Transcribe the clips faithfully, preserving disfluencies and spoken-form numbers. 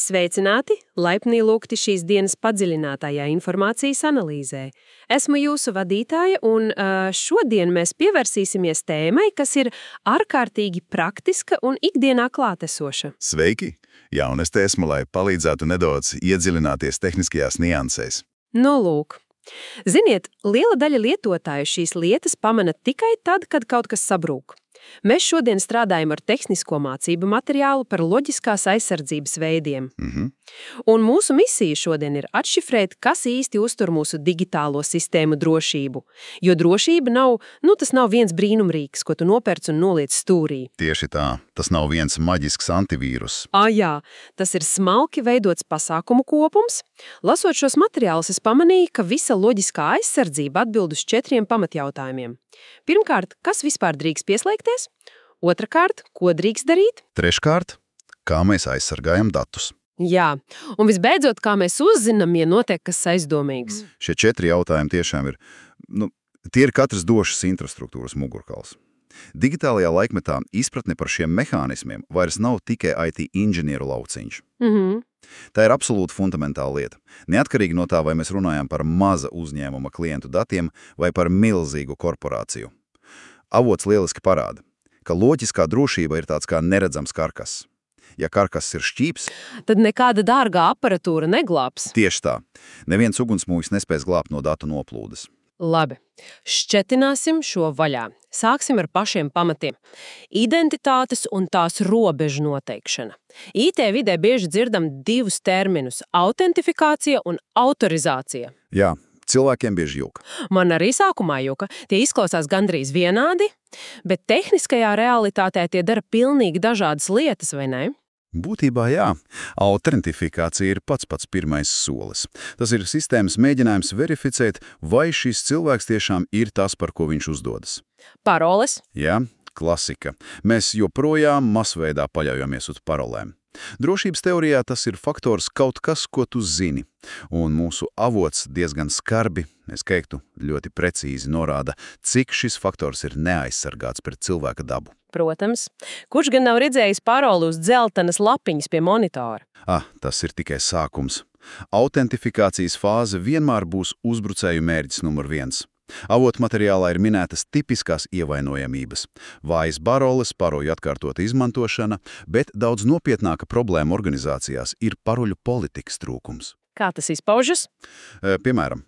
Sveicināti, laipni lūgti šīs dienas padziļinātajā informācijas analīzē. Esmu jūsu vadītāja, un uh, šodien mēs pievērsīsimies tēmai, kas ir ārkārtīgi praktiska un ikdienā klātesoša. Sveiki! Jā, un es te esmu, lai palīdzētu nedaudz iedziļināties tehniskajās niansēs. Nu, lūk. Ziniet, liela daļa lietotāju šīs lietas pamana tikai tad, kad kaut kas sabrūk. Mēs šodien strādājam ar tehnisko mācību materiālu par loģiskās aizsardzības veidiem. Mhm. Un mūsu misija šodien ir atšifrēt, kas īsti uztur mūsu digitālo sistēmu drošību. Jo drošība nav, nu tas nav viens brīnumrīks, ko tu nopērc un noliec stūrī. Tieši tā, tas nav viens maģisks antivīrus. Ā, jā, tas ir smalki veidots pasākumu kopums. Lasot šos materiālus, es pamanīju, ka visa loģiskā aizsardzība atbild uz četriem pamatjautājumiem. Pirmkārt, kas vispār drīkst pieslēgties? Otrakārt, ko drīkst darīt? Treškārt, kā mēs aizsargājam datus. Jā, un visbeidzot, kā mēs uzzinām, ja notiek kas aizdomīgs. Šie četri jautājumi tiešām ir, nu, tie ir katras došas infrastruktūras mugurkauls. Digitālajā laikmetā izpratne par šiem mehānismiem vairs nav tikai I T inženieru lauciņš. Mhm. Tā ir absolūti fundamentāla lieta. Neatkarīgi no tā, vai mēs runājam par maza uzņēmuma klientu datiem vai par milzīgu korporāciju. Avots lieliski parāda, ka loģiskā drošība ir tāds kā neredzams karkas. Ja karkas ir šķīps, tad nekāda dārgā aparatūra neglābs. Tieši tā. Neviens ugunsmūjs nespēs glābt no datu noplūdes. Labi, šķetināsim šo vaļā. Sāksim ar pašiem pamatiem. Identitātes un tās robežu noteikšana. I T vidē bieži dzirdam divus terminus – autentifikācija un autorizācija. Jā, cilvēkiem bieži jūka. Man arī sākumā jūka. Tie izklausās gandrīz vienādi, bet tehniskajā realitātē tie dara pilnīgi dažādas lietas, vai ne? Būtībā jā, autentifikācija ir pats pats pirmais solis. Tas ir sistēmas mēģinājums verificēt, vai šis cilvēks tiešām ir tas, par ko viņš uzdodas. Paroles? Jā, klasika. Mēs joprojām masveidā paļaujamies uz parolēm. Drošības teorijā tas ir faktors kaut kas, ko tu zini, un mūsu avots diezgan skarbi, es teiktu, ļoti precīzi norāda, cik šis faktors ir neaizsargāts pret cilvēka dabu. Protams. Kurš gan nav redzējis paroli uz dzeltenas lapiņas pie monitora? Ah, tas ir tikai sākums. Autentifikācijas fāze vienmēr būs uzbrucēju mērķis numur viens. Avotu materiālā ir minētas tipiskās ievainojamības. Vājas paroles, paroļu atkārtota izmantošana, bet daudz nopietnāka problēma organizācijās ir paroļu politikas trūkums. Kā tas izpaužas? E, piemēram,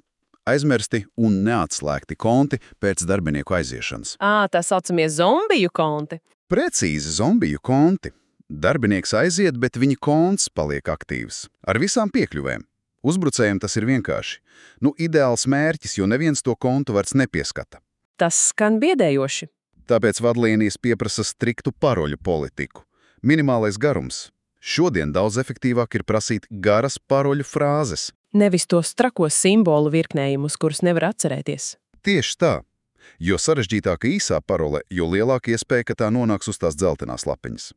aizmirsti un neatslēgti konti pēc darbinieku aiziešanas. Ā, tā saucamie zombiju konti. Precīzi zombiju konti. Darbinieks aiziet, bet viņa konts paliek aktīvs. Ar visām piekļuvēm. Uzbrucējiem tas ir vienkārši. Nu, ideāls mērķis, jo neviens to kontu vairs nepieskata. Tas skan biedējoši. Tāpēc vadlīnijas pieprasa striktu paroļu politiku. Minimālais garums. Šodien daudz efektīvāk ir prasīt garas paroļu frāzes. Nevis tos trakos simbolu virknējumus, kurus nevar atcerēties. Tieši tā. Jo sarežģītāka īsā parole, jo lielāka iespēja, ka tā nonāks uz tās dzeltenās lapiņas.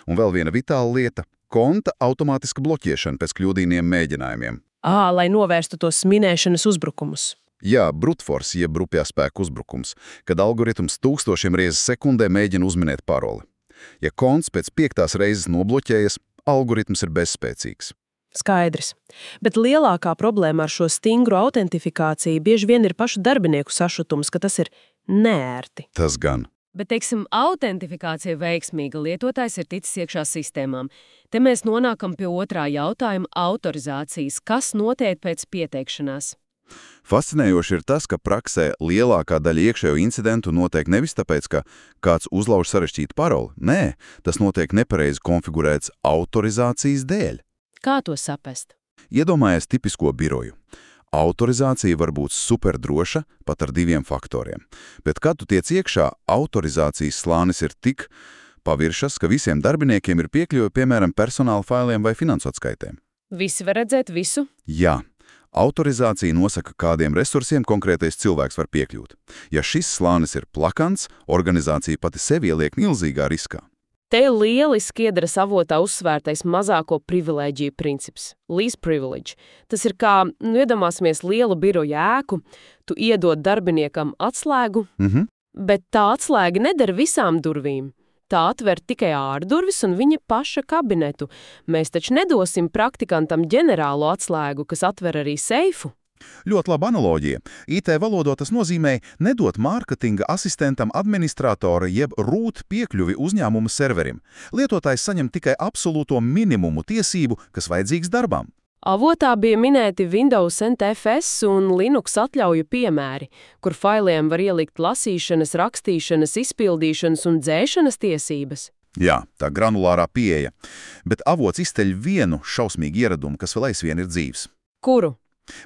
Un vēl viena vitāla lieta – konta automātiska bloķēšana pēc kļūdīniem mēģinājumiem. Ā, lai novērstu tos minēšanas uzbrukumus. Jā, brute force, jeb brupjā spēku uzbrukums, kad algoritms tūkstošiem reizes sekundē mēģina uzminēt paroli. Ja konts pēc piektās reizes nobloķējas, algoritms ir bezspēcīgs. Skaidrs. Bet lielākā problēma ar šo stingru autentifikāciju bieži vien ir pašu darbinieku sašutums, ka tas ir neērti. Tas gan. Bet, teiksim, autentifikācija veiksmīga lietotājs ir ticis iekšā sistēmām. Te mēs nonākam pie otrā jautājuma – autorizācijas. Kas notiek pēc pieteikšanās? Fascinējoši ir tas, ka praksē lielākā daļa iekšējo incidentu notiek nevis tāpēc, ka kāds uzlauž sarežģītu paroli. Nē, tas notiek nepareizi konfigurēts autorizācijas dēļ. Kā to saprast? Iedomājies tipisko biroju. Autorizācija var būt superdroša pat ar diviem faktoriem, bet kad tu tiec iekšā, autorizācijas slānis ir tik paviršas, ka visiem darbiniekiem ir piekļuve, piemēram, personāla failiem vai finansu atskaitēm. Visi var redzēt visu? Jā. Autorizācija nosaka, kādiem resursiem konkrētais cilvēks var piekļūt. Ja šis slānis ir plakans, organizācija pati sevi ieliek milzīgā riskā. Te lieliski iedaras avotā uzsvērtais mazāko privilēģiju princips – least privilege. Tas ir kā, nu, iedomāsimies lielu biroju ēku, tu iedod darbiniekam atslēgu, Mhm. bet tā atslēga nedara visām durvīm. Tā atver tikai ārdurvis un viņa paša kabinetu. Mēs taču nedosim praktikantam ģenerālo atslēgu, kas atver arī seifu. Ļoti laba analoģija. I T valodā tas nozīmē nedot mārketinga asistentam administratora jeb rūt piekļuvi uzņēmuma serverim. Lietotājs saņem tikai absolūto minimumu tiesību, kas vajadzīgs darbam. Avotā bija minēti Windows N T F S un Linux atļauju piemēri, kur failiem var ielikt lasīšanas, rakstīšanas, izpildīšanas un dzēšanas tiesības. Jā, tā granulārā pieeja. Bet avots izceļ vienu šausmīgu ieradumu, kas vēl aizvien ir dzīvs. Kuru?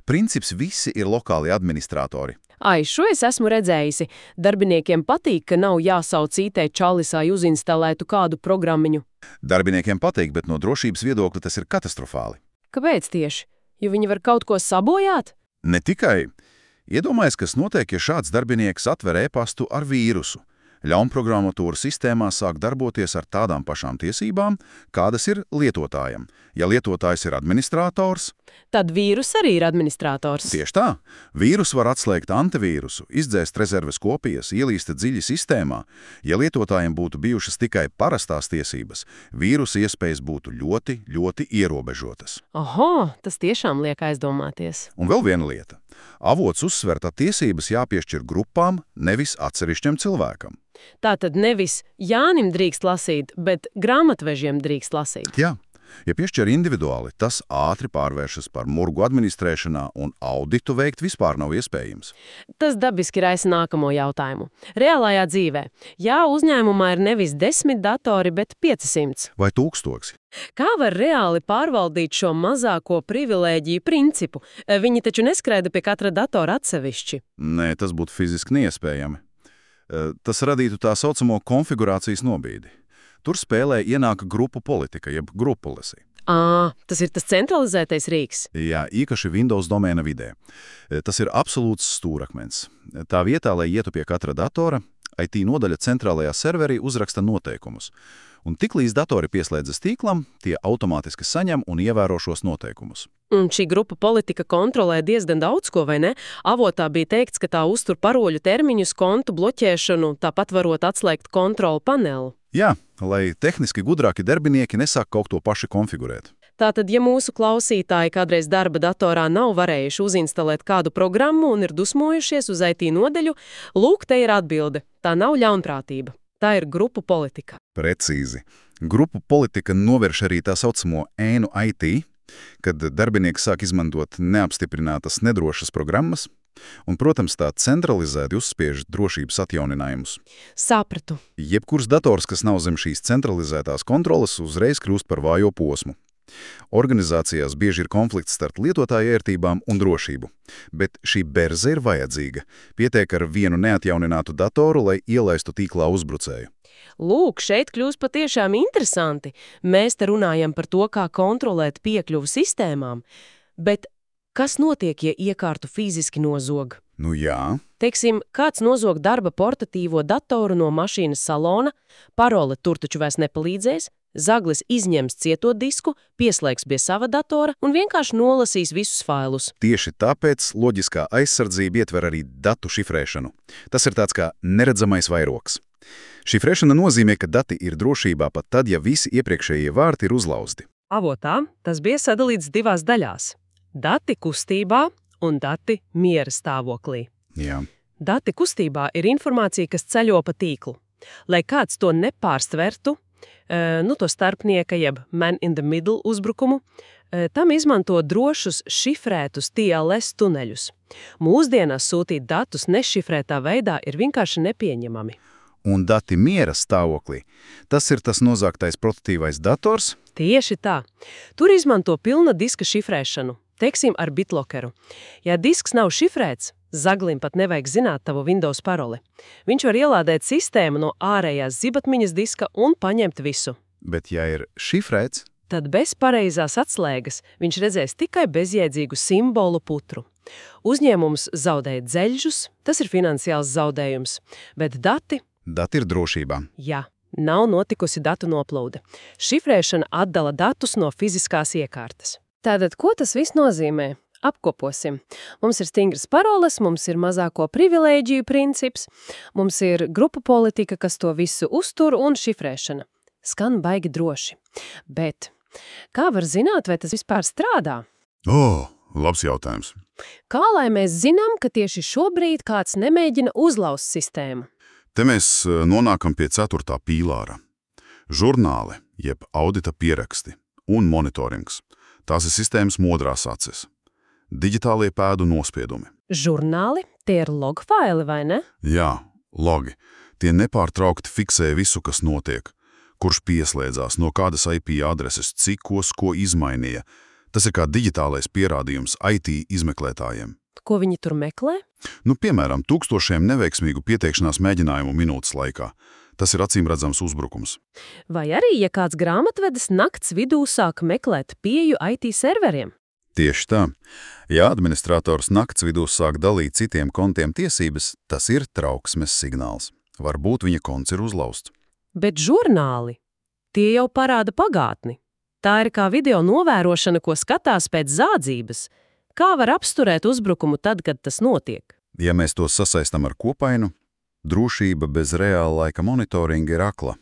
Princips visi ir lokāli administratori. Ai, šo es esmu redzējusi. Darbiniekiem patīk, ka nav jāsauc I T čalis, lai uzinstalētu kādu programmiņu. Darbiniekiem patīk, bet no drošības viedokļa tas ir katastrofāli. Kāpēc tieši? Jo viņi var kaut ko sabojāt? Ne tikai. Iedomājies, kas notiek, ja šāds darbinieks atver e-pastu ar vīrusu. Ļaunprogrammatūra sistēmā sāk darboties ar tādām pašām tiesībām, kādas ir lietotājam. Ja lietotājs ir administrators, tad vīrus arī ir administrators. Tieši tā. Vīrus var atslēgt antivīrusu, izdzēst rezerves kopijas, ielīst dziļi sistēmā. Ja lietotājiem būtu bijušas tikai parastās tiesības, vīrusa iespējas būtu ļoti, ļoti ierobežotas. Oho, tas tiešām liek aizdomāties. Un vēl viena lieta. Avots uzsver, ka tiesības jāpiešķir grupām, nevis atsevišķam cilvēkam. Tātad nevis Jānim drīkst lasīt, bet grāmatvežiem drīkst lasīt. Jā. Ja piešķir individuāli, tas ātri pārvēršas par murgu administrēšanā un auditu veikt vispār nav iespējams. Tas dabiski raisa nākamo jautājumu. Reālajā dzīvē, ja uzņēmumā ir nevis desmit datori, bet piecsimt. Vai tūkstoši? Kā var reāli pārvaldīt šo mazāko privilēģiju principu? Viņi taču neskraida pie katra datora atsevišķi. Nē, tas būtu fiziski neiespējami. Tas radītu tā saucamo konfigurācijas nobīdi. Tur spēlē ienāk grupu politika, jeb grupu policy. Ā, tas ir tas centralizētais rīks. Jā, īpaši Windows domēna vidē. Tas ir absolūts stūrakmens. Tā vietā, lai ietu pie katra datora, I T nodaļa centrālajā serverī uzraksta noteikumus. Un tiklīdz datori pieslēdzas tīklam, tie automātiski saņem un ievēro šos noteikumus. Un šī grupa politika kontrolē diezgan daudz ko, vai ne? Avotā bija teikts, ka tā uztur paroļu termiņus, kontu bloķēšanu, tāpat varot atslēgt kontrolu paneli. Jā, lai tehniski gudrāki darbinieki nesāk kaut to paši konfigurēt. Tātad, ja mūsu klausītāji kādreiz darba datorā nav varējuši uzinstalēt kādu programmu un ir dusmojušies uz I T nodeļu, lūk, te ir atbilde. Tā nav ļaunprātība. Tā ir grupu politika. Precīzi. Grupu politika novērš arī tā saucamo ēnu I T, kad darbinieki sāk izmantot neapstiprinātas nedrošas programmas, un, protams, tā centralizēti uzspiež drošības atjauninājumus. Sapratu. Jebkurs dators, kas nav zem šīs centralizētās kontroles, uzreiz kļūst par vājo posmu. Organizācijās bieži ir konflikts starp lietotāju ērtībām un drošību, bet šī berze ir vajadzīga. Pietiek ar vienu neatjauninātu datoru, lai ielaistu tīklā uzbrucēju. Lūk, šeit kļūst patiešām interesanti. Mēs te runājam par to, kā kontrolēt piekļuvu sistēmām, bet kas notiek, ja iekārtu fiziski nozog? Nu jā. Teiksim, kāds nozog darba portatīvo datoru no mašīnas salona, parole tur taču vairs nepalīdzēs, zaglis izņems cieto disku, pieslēgs pie sava datora un vienkārši nolasīs visus failus. Tieši tāpēc loģiskā aizsardzība ietver arī datu šifrēšanu. Tas ir tāds kā neredzamais vairogs. Šifrēšana nozīmē, ka dati ir drošībā pat tad, ja visi iepriekšējie vārti ir uzlauzti. Avotā tas bija sadalīts divās daļās – dati kustībā un dati miera stāvoklī. Jā. Dati kustībā ir informācija, kas ceļo pa tīklu. Lai kāds to nepārstvertu, nu to starpnieka jeb man in the middle uzbrukumu, tam izmanto drošus šifrētus T L S tuneļus. Mūsdienās sūtīt datus nešifrētā veidā ir vienkārši nepieņemami. Un dati miera stāvoklī. Tas ir tas nozagtais portatīvais dators? Tieši tā. Tur izmanto pilna diska šifrēšanu, teiksim ar BitLockeru. Ja disks nav šifrēts, zaglim pat nevajag zināt tavu Windows paroli. Viņš var ielādēt sistēmu no ārējās zibatmiņas diska un paņemt visu. Bet ja ir šifrēts? Tad bez pareizās atslēgas viņš redzēs tikai bezjēdzīgu simbolu putru. Uzņēmums zaudēja dzeļžus, tas ir finansiāls zaudējums, bet dati... Dati ir drošībā. Jā, nav notikusi datu noplūde. Šifrēšana atdala datus no fiziskās iekārtas. Tātad, ko tas viss nozīmē? Apkoposim. Mums ir stingras paroles, mums ir mazāko privilēģiju princips, mums ir grupu politika, kas to visu uztur un šifrēšana. Skan baigi droši. Bet kā var zināt, vai tas vispār strādā? O, labs jautājums. Kā lai mēs zinām, ka tieši šobrīd kāds nemēģina uzlauzt sistēmu? Te mēs nonākam pie ceturtā pīlāra. Žurnāli, jeb audita pieraksti un monitorings. Tās ir sistēmas modrās acis. Digitālie pēdu nospiedumi. Žurnāli? Tie ir logfaili, vai ne? Jā, logi. Tie nepārtraukti fiksē visu, kas notiek. Kurš pieslēdzās, no kādas I P adreses, cikos, ko izmainīja. Tas ir kā digitālais pierādījums I T izmeklētājiem. Ko viņi tur meklē? Nu, piemēram, tūkstošiem neveiksmīgu pieteikšanās mēģinājumu minūtes laikā. Tas ir acīmredzams uzbrukums. Vai arī, ja kāds grāmatvedis nakts vidū sāk meklēt pieju I T serveriem? Tieši tā. Ja administrators nakts vidū sāk dalīt citiem kontiem tiesības, tas ir trauksmes signāls. Varbūt viņa konts ir uzlausts. Bet žurnāli, tie jau parāda pagātni. Tā ir kā video novērošana, ko skatās pēc zādzības. Kā var apsturēt uzbrukumu tad, kad tas notiek? Ja mēs to sasaistam ar kopainu, drošība bez reāla laika monitoringa ir akla.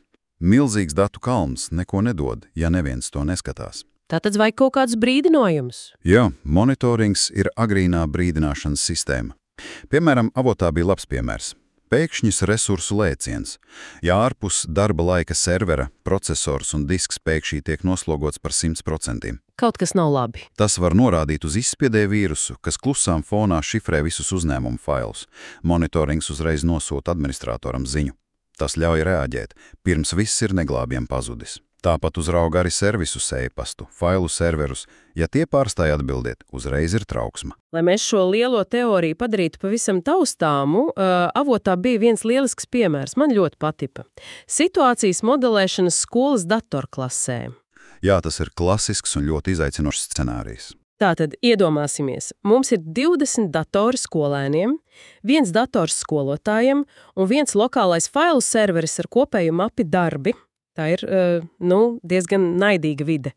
Milzīgs datu kalns neko nedod, ja neviens to neskatās. Tātad vajag kaut kāds brīdinājums? Jā, monitorings ir agrīnā brīdināšanas sistēma. Piemēram, avotā bija labs piemērs. Pēkšņis resursu lēciens. Ja ārpus darba laika servera, procesors un disks pēkšņi tiek noslogots par simt procentiem. Kaut kas nav labi. Tas var norādīt uz izspiedēju vīrusu, kas klusām fonā šifrē visus uzņēmumu failus. Monitorings uzreiz nosūta administratoram ziņu. Tas ļauj reaģēt, pirms viss ir neglābjam pazudis. Tāpat uzrauga arī servisus e-pastu, failu serverus. Ja tie pārstāja atbildiet, uzreiz ir trauksma. Lai mēs šo lielo teoriju padarītu pavisam taustāmu, uh, avotā bija viens lielisks piemērs, man ļoti patipa. Situācijas modelēšanas skolas datorklasē. Jā, tas ir klasisks un ļoti izaicinošs scenārijs. Tātad iedomāsimies, mums ir divdesmit datori skolēniem, viens dators skolotājiem un viens lokālais failu serveris ar kopēju mapi darbi. Tā ir, uh, nu, diezgan naidīga vide.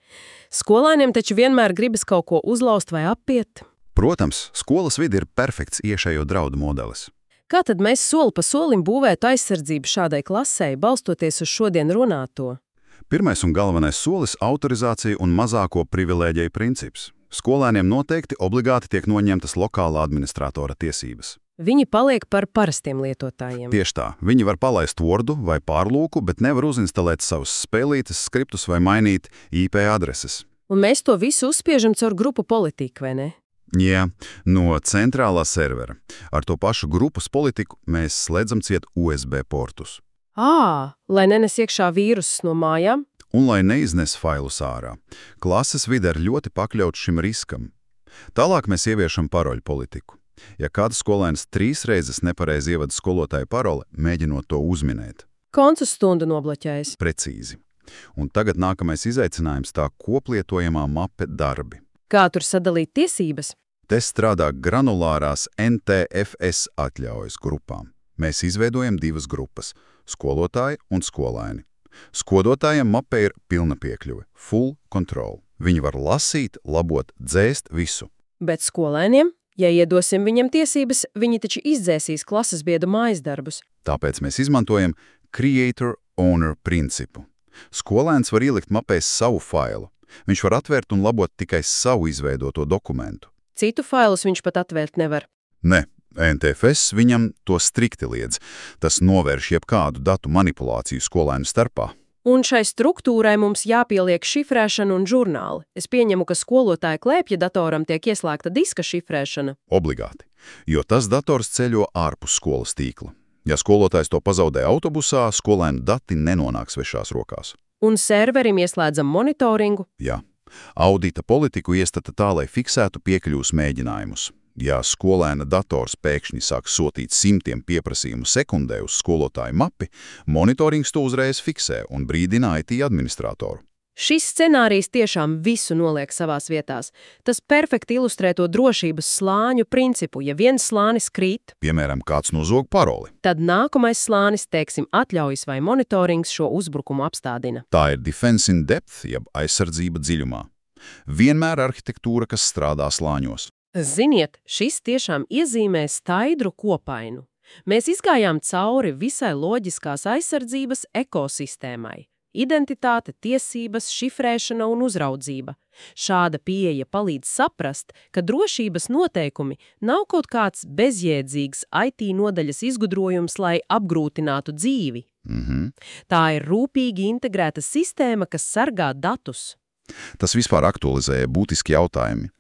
Skolēniem taču vienmēr gribas kaut ko uzlauzt vai apiet. Protams, skolas vide ir perfekts iešējo draudu modelis. Kā tad mēs soli pa solim būvētu aizsardzību šādai klasei, balstoties uz šodien runāto? Pirmais un galvenais solis – autorizācija un mazāko privilēģiju princips. Skolēniem noteikti obligāti tiek noņemtas lokālā administratora tiesības. Viņi paliek par parastiem lietotājiem. Tieši tā. Viņi var palaist Wordu vai pārlūku, bet nevar uzinstalēt savus spēlītes, skriptus vai mainīt I P adreses. Un mēs to visu uzspiežam caur grupu politiku, vai ne? Jā, no centrālā servera. Ar to pašu grupas politiku mēs slēdzam ciet U S B portus. Ā, lai nenes iekšā vīrusus no mājām? Un lai neiznes failus ārā. Klases vide ir ļoti pakļauts šim riskam. Tālāk mēs ieviešam paroļu politiku. Ja kāds skolēns trīs reizes nepareizi ievada skolotāju paroli, mēģinot to uzminēt. Koncu stundu nobloķējas. Precīzi. Un tagad nākamais izaicinājums tā koplietojamā mape darbi. Kā tur sadalīt tiesības? Te strādā granulārās N T F S atļaujas grupām. Mēs izveidojam divas grupas – skolotāji un skolēni. Skolotājiem mapē ir pilna piekļuve – full control. Viņi var lasīt, labot, dzēst visu. Bet skolēniem? Ja iedosim viņam tiesības, viņi taču izdzēsīs klases biedu mājas darbus. Tāpēc mēs izmantojam creator-owner principu. Skolēns var ielikt mapēs savu failu. Viņš var atvērt un labot tikai savu izveidoto dokumentu. Citu failus viņš pat atvērt nevar. Ne, N T F S viņam to strikti liedz. Tas novērš jebkādu datu manipulāciju skolēnu starpā. Un šai struktūrai mums jāpieliek šifrēšana un žurnāli. Es pieņemu, ka skolotāja klēpja datoram tiek ieslēgta diska šifrēšana. Obligāti, jo tas dators ceļo ārpus skolas tīkla. Ja skolotājs to pazaudē autobusā, skolēnu dati nenonāks svešās rokās. Un serverim ieslēdzam monitoringu? Jā. Audita politiku iestata tā, lai fiksētu piekļuvas mēģinājumus. Ja skolēna dators pēkšņi sāk sūtīt simtiem pieprasījumu sekundē uz skolotāju mapi, monitorings to uzreiz fiksē un brīdina I T administratoru. Šis scenārijs tiešām visu noliek savās vietās. Tas perfekti ilustrē to drošības slāņu principu. Ja viens slānis krīt, piemēram, kāds nozog paroli, tad nākamais slānis, teiksim, atļaujas vai monitorings šo uzbrukumu apstādina. Tā ir defense in depth, jeb aizsardzība dziļumā. Vienmēr arhitektūra, kas strādā slāņos. Ziniet, šis tiešām iezīmē skaidru kopainu. Mēs izgājām cauri visai loģiskās aizsardzības ekosistēmai. Identitāte, tiesības, šifrēšana un uzraudzība. Šāda pieeja palīdz saprast, ka drošības noteikumi nav kaut kāds bezjēdzīgs I T nodaļas izgudrojums, lai apgrūtinātu dzīvi. Mhm. Tā ir rūpīgi integrēta sistēma, kas sargā datus. Tas vispār aktualizēja būtiski jautājumi.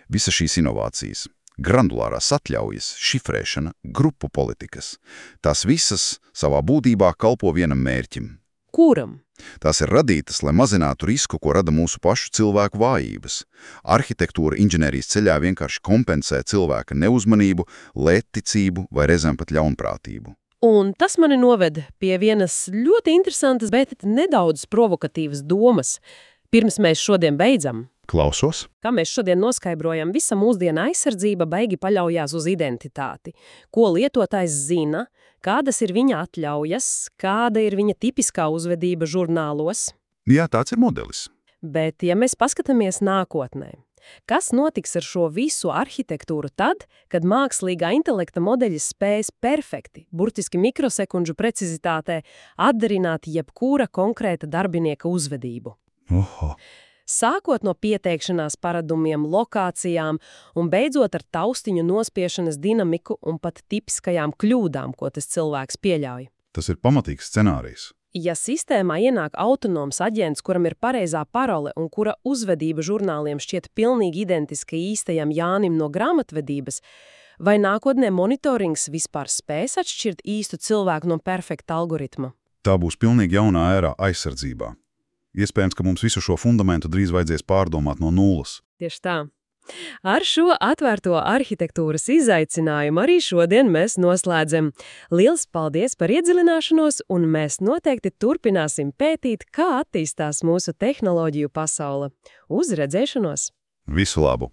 Visa šīs inovācijas, granulārās atļaujas, šifrēšana, grupu politikas, tās visas savā būtībā kalpo vienam mērķim. Kuram? Tās ir radītas, lai mazinātu risku, ko rada mūsu pašu cilvēku vājības. Arhitektūra inženierijas ceļā vienkārši kompensē cilvēka neuzmanību, lētticību vai reizēm pat ļaunprātību. Un tas mani noved pie vienas ļoti interesantas, bet nedaudz provokatīvas domas. Pirms mēs šodien beidzam. Klausos? Kā mēs šodien noskaidrojam, visa mūsdiena aizsardzība baigi paļaujās uz identitāti. Ko lietotājs zina, kādas ir viņa atļaujas, kāda ir viņa tipiskā uzvedība žurnālos. Jā, tāds ir modelis. Bet, ja mēs paskatāmies nākotnē, kas notiks ar šo visu arhitektūru tad, kad mākslīgā intelekta modeļi spēs perfekti, burtiski mikrosekundžu precizitātē, atdarināt jebkura konkrēta darbinieka uzvedību? Oho. Sākot no pieteikšanās paradumiem, lokācijām un beidzot ar taustiņu nospiešanas dinamiku un pat tipiskajām kļūdām, ko tas cilvēks pieļauj. Tas ir pamatīgs scenārijs. Ja sistēmā ienāk autonoms aģents, kuram ir pareizā parole un kura uzvedība žurnāliem šķiet pilnīgi identiska īstajam Jānim no grāmatvedības, vai nākotnē monitorings vispār spēs atšķirt īstu cilvēku no perfekta algoritma? Tā būs pilnīgi jaunā ērā aizsardzībā. Iespējams, ka mums visu šo fundamentu drīz vajadzēs pārdomāt no nulles. Tieši tā. Ar šo atvērto arhitektūras izaicinājumu arī šodien mēs noslēdzam. Liels paldies par iedziļināšanos, un mēs noteikti turpināsim pētīt, kā attīstās mūsu tehnoloģiju pasaule. Uz redzēšanos! Visu labu!